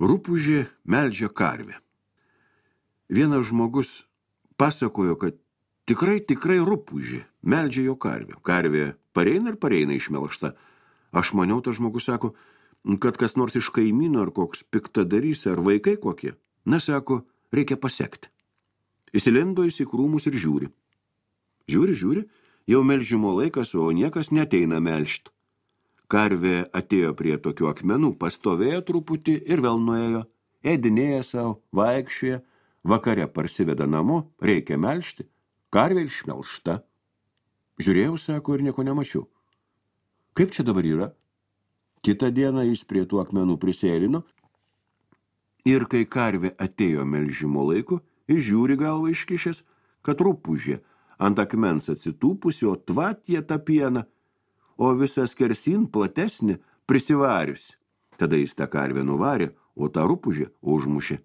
Rupūžė meldžia karvę. Vienas žmogus pasakojo, kad tikrai rupūžė meldžia jo karvę. Karvė pareina ir pareina išmelžta. Aš maniau, tas žmogus sako, kad kas nors iš kaimyno ar koks piktadarys ar vaikai kokie. Na, sako, reikia pasekti. Įsilindo į krūmus ir žiūri. Žiūri, jau melžimo laikas, o niekas neteina melžt. Karvė atėjo prie tokių akmenų, pastovėjo truputį ir vėl nuėjo, ėdinėja savo, vaikščioja, vakare parsiveda namo, reikia melžti, karvė išmelžta. Žiūrėjau, sako, ir nieko nemačiau. Kaip čia dabar yra? Kitą dieną jis prie tų akmenų prisėlino ir kai karvė atėjo melžimo laiku, jis žiūri galvą iškišęs, kad rupūžė ant akmens atsitūpusi, o tvatė tą pieną, o visas skersin platesnį prisivariusi. Tada jis tą karvę nuvarė, o tą rupūžę užmušė.